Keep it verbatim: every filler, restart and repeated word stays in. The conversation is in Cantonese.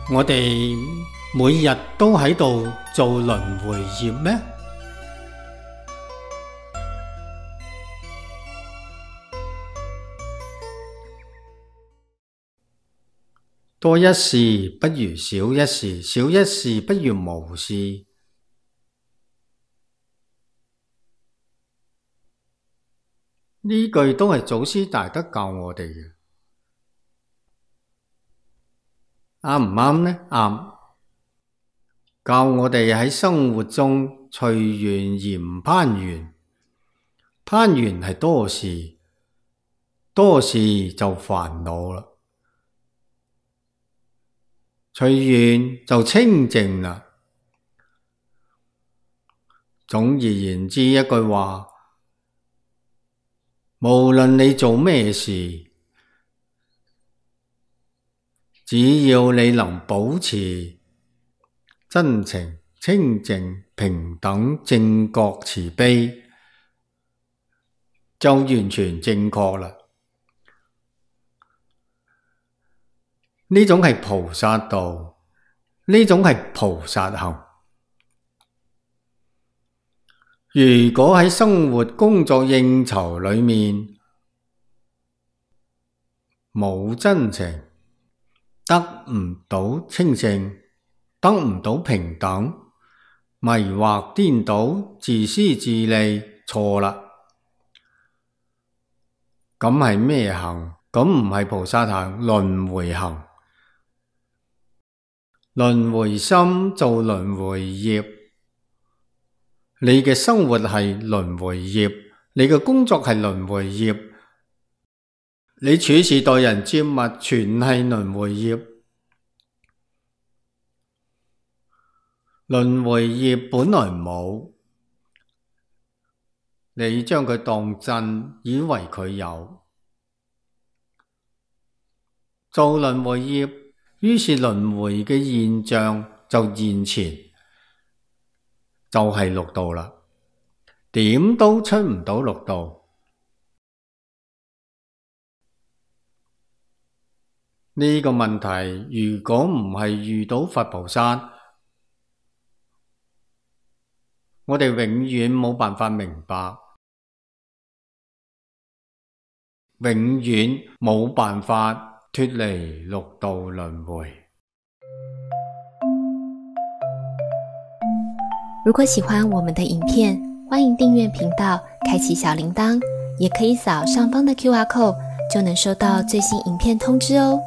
我哋每日都喺度做輪迴業咩？多一事不如少一事，少一事不如無事。呢句都係祖師大德教我哋嘅，啱唔啱呢？啱。教我哋喺生活中隨緣而唔攀緣，攀緣係多事，多事就煩惱啦。隨緣就清淨啦。總而言之一句話，無論你做咩事，只要你能保持真情、清淨、平等、正覺、慈悲，就完全正確啦。呢種係菩薩道，呢種係菩薩行。如果喺生活、工作、應酬裏面冇真情，得唔到清淨，得唔到平等，迷惑顛倒，自私自利，錯啦。咁係咩行？咁唔係菩薩行，輪迴行。輪迴心做輪迴業，你嘅生活係輪迴業，你嘅工作係輪迴業，你處事待人接物全係輪迴業。輪迴業本來冇，你將佢當真，以為佢有。做輪迴業，於是輪迴嘅現象就現前，就係六道啦，點都出唔到六道。呢個問題如果唔係遇到佛菩薩，我哋永遠冇辦法明白，永遠冇辦法脫離六道輪迴。如果喜歡我們的影片，歡迎訂閱頻道，開啟小鈴鐺，也可以掃上方的 Q R code，就能收到最新影片通知哦。